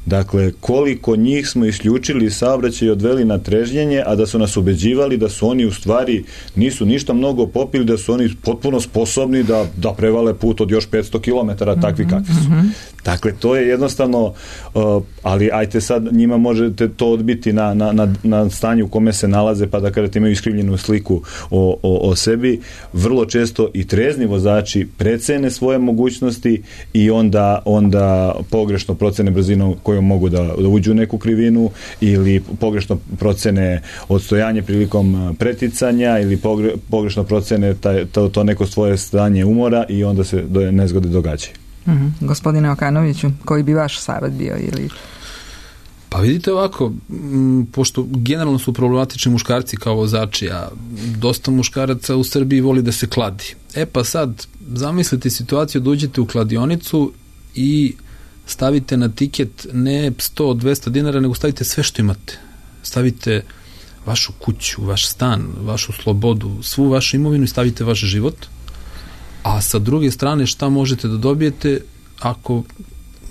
Dakle, koliko njih smo isključili iz saobraćaja i odveli na trežnjenje, a da su nas ubeđivali da su oni u stvari nisu ništa mnogo popili, da su oni potpuno sposobni da, da prevale put od još petsto kilometara, takvi kakvi su. Mm-hmm. Dakle, to je jednostavno, uh, ali ajte sad njima možete to odbiti na, na, na, na stanju u kome se nalaze, pa da kada imaju iskrivljenu sliku o, o, o sebi, vrlo često i trezni vozači precene svoje mogućnosti i onda, onda pogrešno procene brzinu kojom mogu da, da uđu u neku krivinu ili pogrešno procene odstojanje prilikom preticanja ili pogre, pogrešno procene taj, to, to neko svoje stanje umora i onda se do, nezgode događaju. Mm-hmm. Gospodine Okanoviću, koji bi vaš savjet bio? Ili... Pa vidite ovako, m, pošto generalno su problematični muškarci kao vozači, a dosta muškaraca u Srbiji voli da se kladi. E pa sad, zamislite situaciju da uđete u kladionicu i stavite na tiket ne sto do dvesta dinara, nego stavite sve što imate. Stavite vašu kuću, vaš stan, vašu slobodu, svu vašu imovinu i stavite vaš život. A sa druge strane šta možete da dobijete ako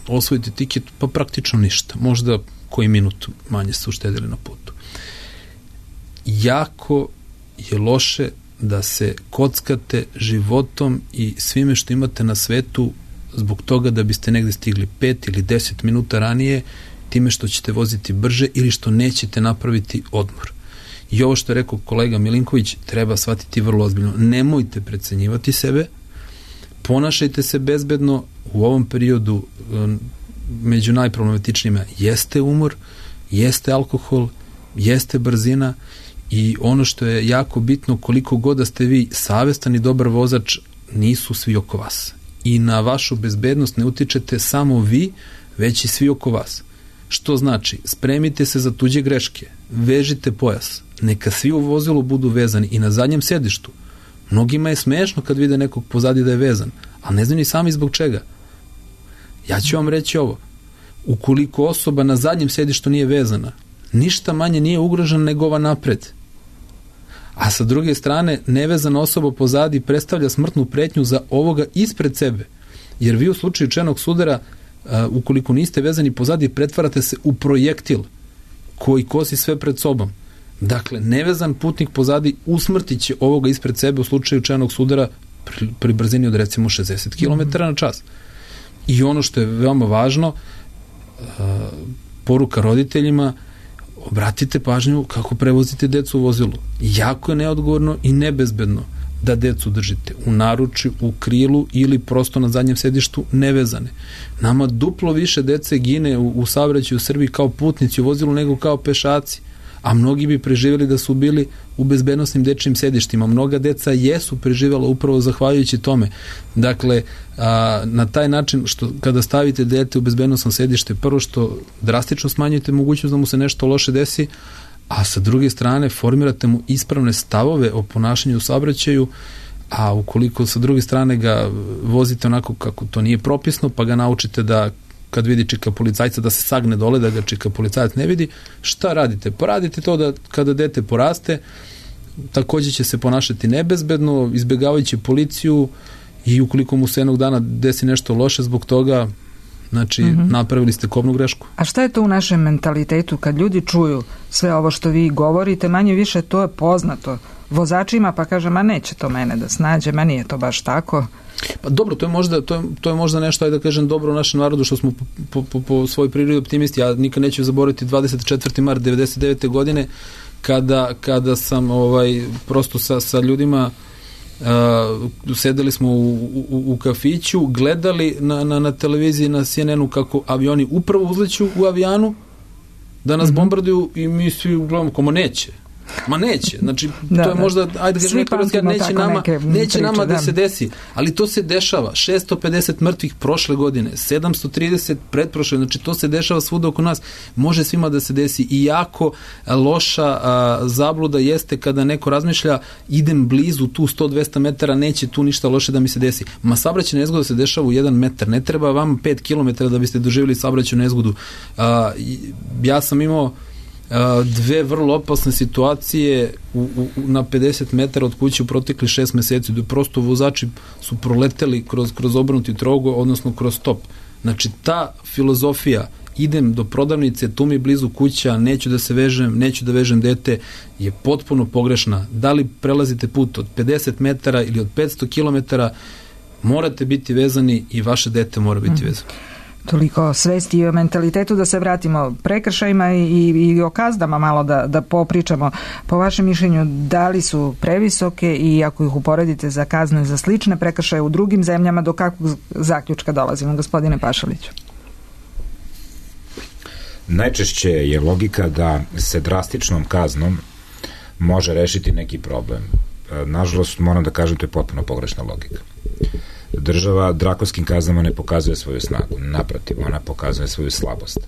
osvojite tiket? Pa praktično ništa. Možda koji minut manje ste uštedili na putu. Jako je loše da se kockate životom i svime što imate na svetu zbog toga da biste negde stigli pet ili deset minuta ranije time što ćete voziti brže ili što nećete napraviti odmor. I ovo što je rekao kolega Milinković treba shvatiti vrlo ozbiljno. Nemojte precenjivati sebe, ponašajte se bezbedno. U ovom periodu među najproblematičnijima jeste umor, jeste alkohol, jeste brzina i ono što je jako bitno, koliko god da ste vi savestan i dobar vozač, nisu svi oko vas. I na vašu bezbednost ne utičete samo vi, već i svi oko vas. Što znači, spremite se za tuđe greške, vežite pojas, neka svi u vozilu budu vezani i na zadnjem sedištu. Mnogima je smešno kad vide nekog pozadi da je vezan, a ne znaju ni sami zbog čega. Ja ću vam reći ovo, ukoliko osoba na zadnjem sedištu nije vezana, ništa manje nije ugrožena nego ova napred. A sa druge strane, nevezana osoba pozadi predstavlja smrtnu pretnju za ovoga ispred sebe. Jer vi u slučaju čenog sudara, uh, ukoliko niste vezani pozadi, pretvarate se u projektil koji kosi sve pred sobom. Dakle, nevezan putnik pozadi usmrtit će ovoga ispred sebe u slučaju čenog sudara pri, pri brzini od recimo šezdeset kilometara na čas. I ono što je veoma važno, uh, poruka roditeljima, obratite pažnju kako prevozite decu u vozilu. Jako je neodgovorno i nebezbedno da decu držite u naručju, u krilu ili prosto na zadnjem sedištu nevezane. Nama duplo više dece gine u, u saobraćaju u Srbiji kao putnici u vozilu nego kao pešaci. A mnogi bi preživjeli da su bili u bezbednosnim dečijim sedištima. Mnoga deca jesu preživjela upravo zahvaljujući tome. Dakle, a, na taj način što kada stavite dete u bezbednosno sedište, prvo što drastično smanjujete mogućnost da mu se nešto loše desi, a sa druge strane formirate mu ispravne stavove o ponašanju u saobraćaju, a ukoliko sa druge strane ga vozite onako kako to nije propisno, pa ga naučite da kad vidi čika policajca da se sagne dole, da ga čika policajac ne vidi. Šta radite? Pa radite to da kada dete poraste, takođe će se ponašati nebezbedno, izbjegavajući policiju, i ukoliko mu se jednog dana desi nešto loše zbog toga, znači mm-hmm. napravili ste kobnu grešku. A šta je to u našem mentalitetu kad ljudi čuju sve ovo što vi govorite, manje više to je poznato vozačima, pa kaže, ma neće to mene da snađe, ma nije to baš tako. Pa dobro, to je možda, to je, to je možda nešto, ajde da kažem, dobro u našem narodu, što smo po, po, po svojoj prirodi optimisti. Ja nikad neću zaboraviti dvadeset četvrti mart devedeset devete godine kada, kada sam ovaj, prosto sa, sa ljudima Uh, sedeli smo u, u, u kafiću, gledali na, na, na televiziji, na C N N-u kako avioni upravo uzleću u avijanu da nas mm-hmm. bombarduju i mi svi gledamo kao, ma neće. Ma neće. Znači, da, to je možda, ajde da kažem, neko razgled, neće nama, neće priče, nama da, da se desi. Ali to se dešava. šesto pedeset mrtvih prošle godine, sedamsto trideset pretprošle, znači to se dešava svuda oko nas. Može svima da se desi. I jako loša a, zabluda jeste kada neko razmišlja, idem blizu tu sto do dvesta metara, neće tu ništa loše da mi se desi. Ma saobraćajna nezgoda se dešava u jedan metar. Ne treba vam pet kilometara da biste doživjeli saobraćajnu nezgodu. A, ja sam imao dve vrlo opasne situacije u, u, na pedeset metara od kuće u protekli šest meseci, da prosto vozači su proleteli kroz, kroz obrnuti trogo, odnosno kroz stop. Znači, ta filozofija, idem do prodavnice, tu mi je blizu kuća, neću da se vežem, neću da vežem dete, je potpuno pogrešna. Da li prelazite put od pedeset metara ili od petsto kilometara, morate biti vezani i vaše dete mora biti vezano. Toliko svesti i o mentalitetu, da se vratimo prekršajima i, i o kaznama malo da, da popričamo. Po vašem mišljenju, da li su previsoke i ako ih uporedite za kazne za slične prekršaje u drugim zemljama, do kakvog zaključka dolazimo, gospodine Pašaliću? Najčešće je logika da se drastičnom kaznom može rešiti neki problem. Nažalost, moram da kažem, to je potpuno pogrešna logika. Država drakonskim kaznama ne pokazuje svoju snagu, naprotiv, ona pokazuje svoju slabost.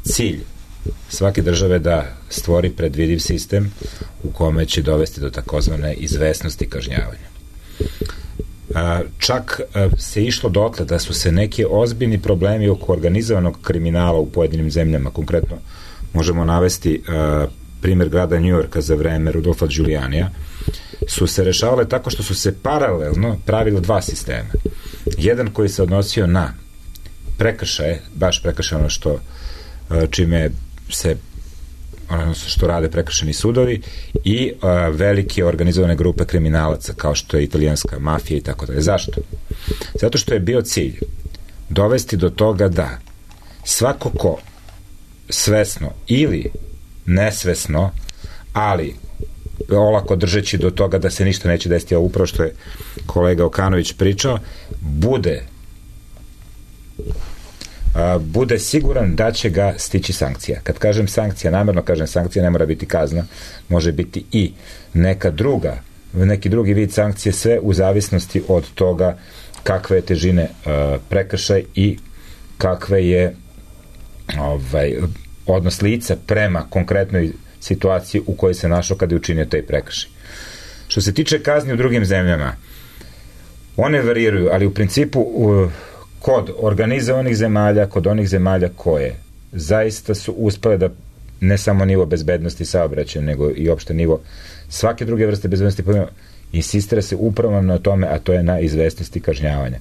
Cilj svake države da stvori predvidiv sistem u kome će dovesti do takozvane izvesnosti kažnjavanja. Čak se išlo dotle da su se neki ozbiljni problemi oko organizovanog kriminala u pojedinim zemljama, konkretno možemo navesti primjer grada New Yorka za vreme Rudolfa Giulianija, su se rešavale tako što su se paralelno pravile dva sistema. Jedan koji se odnosio na prekršaje, baš prekršaje ono što čime se ono što rade prekršajni sudovi, i a, velike organizovane grupe kriminalaca kao što je italijanska mafija i tako dalje. Zašto? Zato što je bio cilj dovesti do toga da svako ko svesno ili nesvesno, ali olako držeći do toga da se ništa neće desiti, a upravo što je kolega Okanović pričao, bude a, bude siguran da će ga stići sankcija. Kad kažem sankcija, namjerno kažem sankcija, ne mora biti kazna, može biti i neka druga, neki drugi vid sankcije, sve u zavisnosti od toga kakve je težine a, prekršaj i kakve je ovaj, odnos lica prema konkretnoj situaciji u kojoj se našao kada je učinio taj prekršaj. Što se tiče kazni u drugim zemljama, one variraju, ali u principu uh, kod organizovanih zemalja, kod onih zemalja koje zaista su uspele da ne samo nivo bezbednosti saobraćaja, nego i opšte nivo svake druge vrste bezbednosti, insistira se upravo na tome, a to je na izvesnosti kažnjavanja.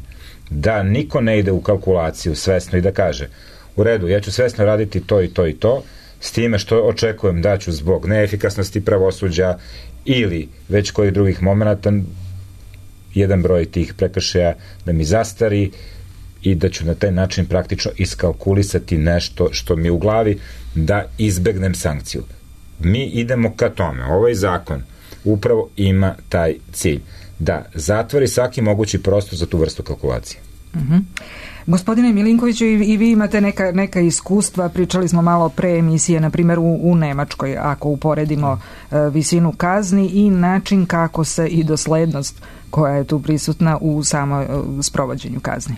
Da niko ne ide u kalkulaciju svesno i da kaže, u redu, ja ću svesno raditi to i to i to, s time što očekujem da ću zbog neefikasnosti pravosuđa ili već kojih drugih momenata jedan broj tih prekršaja da mi zastari i da ću na taj način praktično iskalkulisati nešto što mi u glavi da izbegnem sankciju. Mi idemo ka tome. Ovaj zakon upravo ima taj cilj, da zatvori svaki mogući prostor za tu vrstu kalkulacije. Mhm. Gospodine Milinkoviću, i vi imate neka, neka iskustva, pričali smo malo pre emisije, na primjer u, u Nemačkoj, ako uporedimo e, visinu kazni i način kako se i doslednost koja je tu prisutna u samo e, sprovođenju kazni.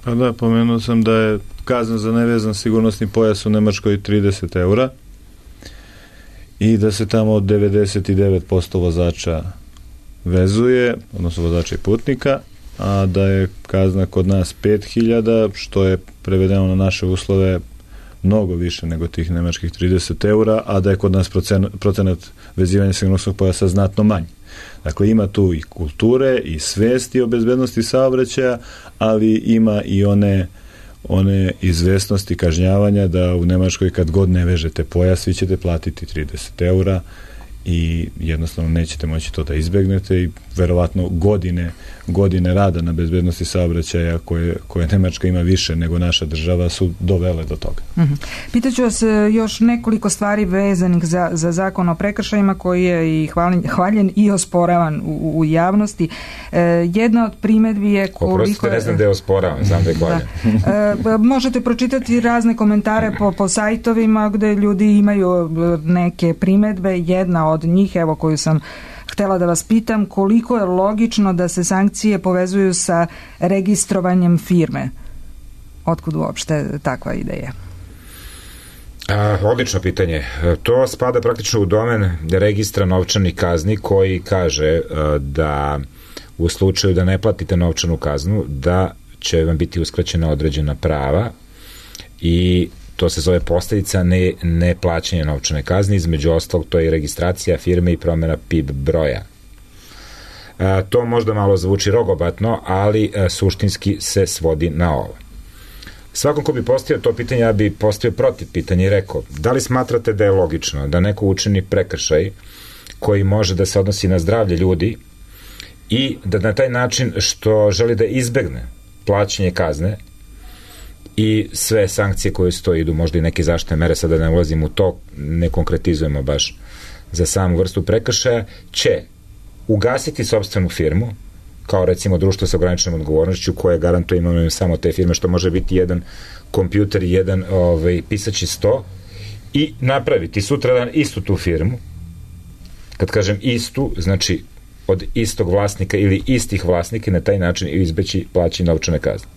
Pa da, pomenuo sam da je kazna za nevezan sigurnosni pojas u Nemačkoj trideset eura i da se tamo od devedeset devet posto vozača vezuje, odnosno vozača i putnika, a da je kazna kod nas pet hiljada, što je prevedeno na naše uslove mnogo više nego tih nemačkih trideset eura, a da je kod nas procenat, procenat vezivanja sigurnosnog pojasa znatno manji. Dakle, ima tu i kulture i svesti o bezbednosti saobraćaja, ali ima i one one izvesnosti kažnjavanja da u Nemačkoj kad god ne vežete pojas, vi ćete platiti trideset eura i jednostavno nećete moći to da izbegnete i verovatno godine, godine rada na bezbednosti saobraćaja koje, koje Nemačka ima više nego naša država su dovele do toga. Mm-hmm. Pitaću vas još nekoliko stvari vezanih za, za zakon o prekršajima koji je i hvaljen, hvaljen i osporavan u, u javnosti. E, jedna od primedbi je koliko... Oprostite, ne znam da je osporavan, znam da je hvaljen. Da. E, možete pročitati razne komentare po, po sajtovima gde ljudi imaju neke primedbe. Jedna od njih, evo koju sam htela da vas pitam, koliko je logično da se sankcije povezuju sa registrovanjem firme? Otkud uopšte takva ideja? A, odlično pitanje. To spada praktično u domen registra novčanih kazni koji kaže a, da u slučaju da ne platite novčanu kaznu, da će vam biti uskraćena određena prava i to se zove posljedica ne, ne plaćanja novčane kazne, između ostalog to je i registracija firme i promjena P I B broja. A, to možda malo zvuči rogobatno, ali a, suštinski se svodi na ovo. Svakom ko bi postavio to pitanje, ja bi postavio protiv pitanja i rekao, da li smatrate da je logično da neko učini prekršaj koji može da se odnosi na zdravlje ljudi i da na taj način što želi da izbegne plaćanje kazne i sve sankcije koje su to idu, možda i neke zaštitne mere, sada ne ulazim u to, ne konkretizujemo baš za samu vrstu prekršaja, će ugasiti sopstvenu firmu, kao recimo društvo sa ograničenom odgovornošću koje garantuje imovinu samo te firme, što može biti jedan kompjuter i jedan ovaj, pisaći sto, i napraviti sutradan istu tu firmu. Kad kažem istu, znači od istog vlasnika ili istih vlasnika, na taj način izbeći plaćanje novčane kazne.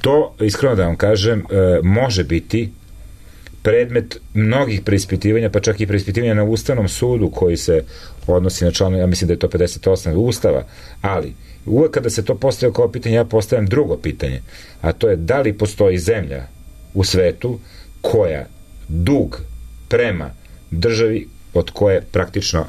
To, iskreno da vam kažem, može biti predmet mnogih preispitivanja, pa čak i preispitivanja na Ustavnom sudu koji se odnosi na članu, ja mislim da je to pedeset osam Ustava, ali uvek kada se to postavlja kao pitanje, ja postavljam drugo pitanje, a to je da li postoji zemlja u svetu koja dug prema državi od koje praktično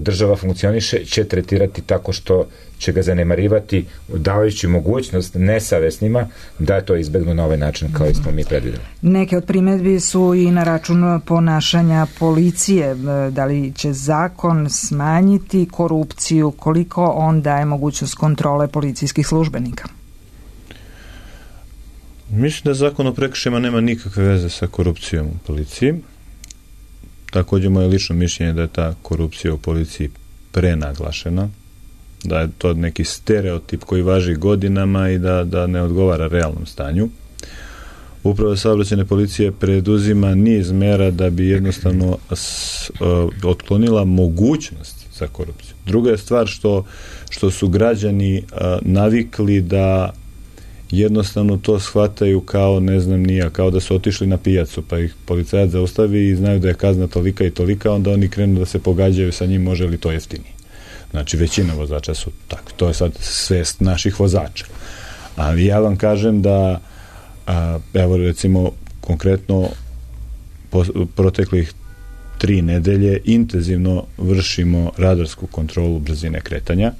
država funkcioniše će tretirati tako što će ga zanemarivati, davajući mogućnost nesavesnima da to izbegnu na ovaj način kao i smo mi predvideli. Neke od primjedbi su i na račun ponašanja policije. Da li će zakon smanjiti korupciju, koliko on daje mogućnost kontrole policijskih službenika? Mislim da zakon o prekršajima nema nikakve veze sa korupcijom u policiji. Također moje lično mišljenje da je ta korupcija u policiji prenaglašena, da je to neki stereotip koji važi godinama i da, da ne odgovara realnom stanju. Uprava saobraćajne policije preduzima niz mera da bi jednostavno s, uh, otklonila mogućnost za korupciju. Druga je stvar što, što su građani uh, navikli da jednostavno to shvataju kao, ne znam nija, kao da su otišli na pijacu, pa ih policajac zaustavi i znaju da je kazna tolika i tolika, onda oni krenu da se pogađaju sa njim, može li to jeftinije. Znači, većina vozača su tako. To je sad svest naših vozača. Ali ja vam kažem da, a, evo recimo, konkretno po, proteklih tri nedelje intenzivno vršimo radarsku kontrolu brzine kretanja.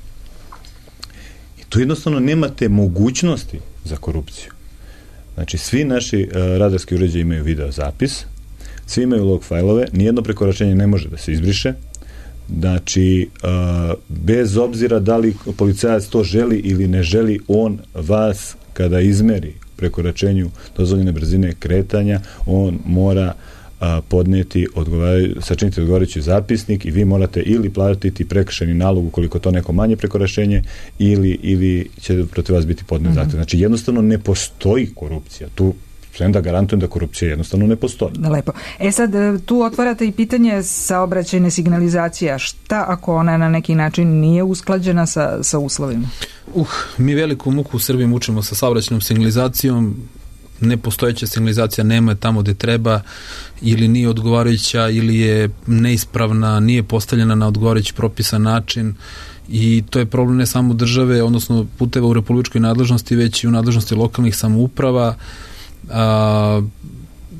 I tu jednostavno nemate mogućnosti za korupciju. Znači, svi naši uh, radarski uređaji imaju video zapis, svi imaju log fajlove, nijedno prekoračenje ne može da se izbriše. Znači, uh, bez obzira da li policajac to želi ili ne želi, on vas kada izmeri prekoračenju dozvoljene brzine kretanja, on mora a, podnijeti, sačiniti odgovarajući zapisnik i vi morate ili platiti prekršajni nalog ukoliko to neko manje prekoračenje ili, ili će protiv vas biti podnijet mm-hmm. zahtev. Znači jednostavno ne postoji korupcija. Tu sve da garantujem da korupcija jednostavno ne postoji. Lepo. E sad, tu otvarate i pitanje saobraćajne signalizacije. Šta ako ona na neki način nije usklađena sa, sa uslovima? Uh, mi veliku muku u Srbiji mučimo sa saobraćajnom signalizacijom. Nepostojeća signalizacija nema tamo gde treba, ili nije odgovarajuća, ili je neispravna, nije postavljena na odgovarajući propisan način, i to je problem ne samo države, odnosno puteva u republičkoj nadležnosti, već i u nadležnosti lokalnih samouprava. A,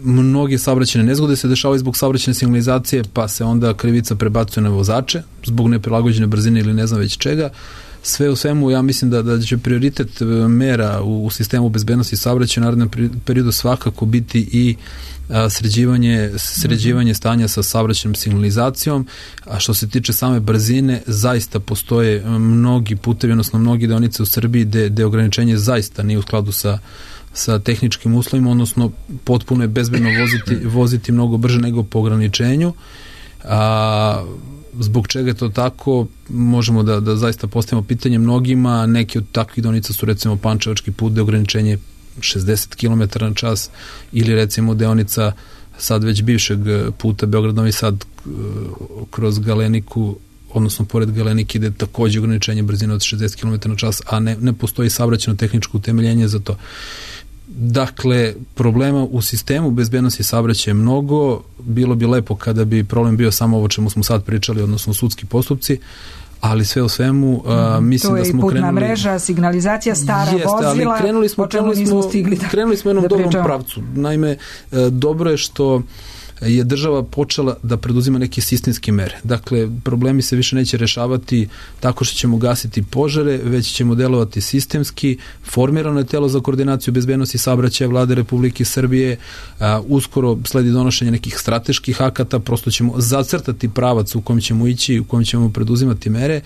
mnoge saobraćajne nezgode se dešavaju zbog saobraćajne signalizacije, pa se onda krivica prebacuje na vozače zbog neprilagođene brzine ili ne znam već čega. Sve u svemu, ja mislim da, da će prioritet mera u, u sistemu bezbednosti saobraćaja u narednom periodu svakako biti i a, sređivanje, sređivanje stanja sa saobraćajnom signalizacijom, a što se tiče same brzine, zaista postoje mnogi putevi, odnosno mnogi deonice u Srbiji gde, gde ograničenje zaista nije u skladu sa sa tehničkim uslovima, odnosno potpuno je bezbedno voziti, voziti mnogo brže nego po ograničenju. A, zbog čega je to tako, možemo da, da zaista postavimo pitanje mnogima. Neki od takvih deonica su recimo Pančevački put gde ograničenje šezdeset kilometara na čas, ili recimo deonica sad već bivšeg puta Beograd-Novi Sad kroz Galeniku, odnosno pored Galenike, ide takođe ograničenje brzine od šezdeset kilometara na čas, a ne, ne postoji saobraćajno tehničko utemeljenje za to. Dakle, problema u sistemu bezbednosti saobraćaja je mnogo. Bilo bi lepo kada bi problem bio samo ovo čemu smo sad pričali, odnosno sudski postupci, ali sve u svemu a, mislim da smo krenuli... To je i putna mreža, signalizacija, stara jeste, vozila, ali krenuli smo, o čemu krenuli nismo smo, stigli da krenuli smo jednom da dobrom pričamo. pravcu. Naime, dobro je što je država počela da preduzima neke sistemske mere. Dakle, problemi se više neće rešavati tako što ćemo gasiti požare, već ćemo delovati sistemski. Formirano je telo za koordinaciju bezbednosti saobraćaja Vlade Republike Srbije. A, uskoro sledi donošenje nekih strateških akata, prosto ćemo zacrtati pravac u kojem ćemo ići, u kojem ćemo preduzimati mere.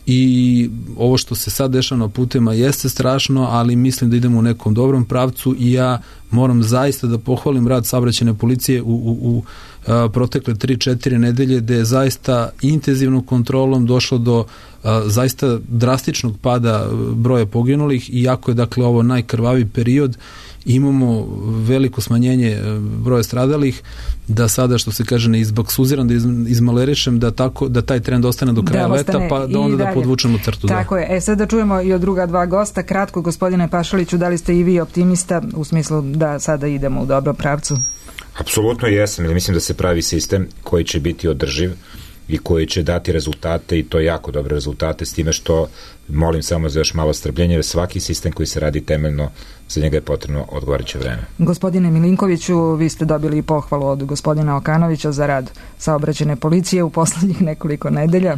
I ovo što se sad dešava na putevima jeste strašno, ali mislim da idemo u nekom dobrom pravcu i ja moram zaista da pohvalim rad saobraćajne policije u, u, u a, protekle tri četiri nedelje, gde je zaista intenzivnom kontrolom došlo do a, zaista drastičnog pada broja poginulih, i jako je dakle ovo najkrvaviji period, imamo veliko smanjenje broja stradalih, da sada, što se kaže, ne izbaksuziram, da izmalerišem, da, tako, da taj trend ostane do kraja da leta, pa da onda da podvučemo crtu. Tako da. je. E sad da čujemo i od druga dva gosta. Kratko, gospodine Pašaliću, da li ste i vi optimista u smislu da sada idemo u dobrom pravcu? Apsolutno jesam. Mislim da se pravi sistem koji će biti održiv i koji će dati rezultate, i to jako dobre rezultate, s time što molim samo za još malo strpljenja, jer svaki sistem koji se radi temeljno, za njega je potrebno odgovarajuće vreme. Gospodine Milinkoviću, vi ste dobili pohvalu od gospodina Okanovića za rad saobraćajne policije u poslednjih nekoliko nedelja.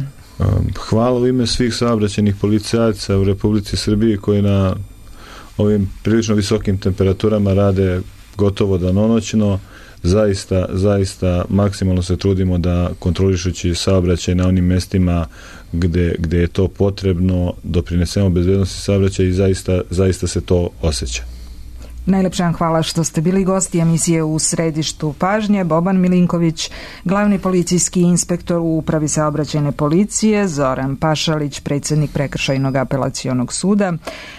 Hvala u ime svih saobraćajnih policajaca u Republici Srbiji koji na ovim prilično visokim temperaturama rade gotovo danonoćno. Zaista, zaista maksimalno se trudimo da kontrolišući saobraćaj na onim mestima gde, gde je to potrebno doprinesemo bezbednosti saobraćaja i zaista, zaista se to osjeća. Najlepša vam hvala što ste bili gosti emisije U središtu pažnje. Boban Milinković, glavni policijski inspektor u Upravi saobraćajne policije, Zoran Pašalić, predsjednik Prekršajnog apelacionog suda,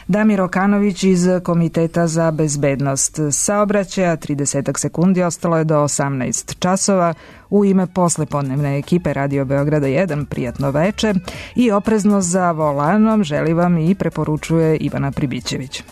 Damir Okanović iz Komiteta za bezbednost saobraćaja. trideset sekundi ostalo je do osamnaest časova. U ime poslepodnevne ekipe Radio Beograda jedan, prijatno veče i oprezno za volanom želi vam i preporučuje Ivana Pribićević.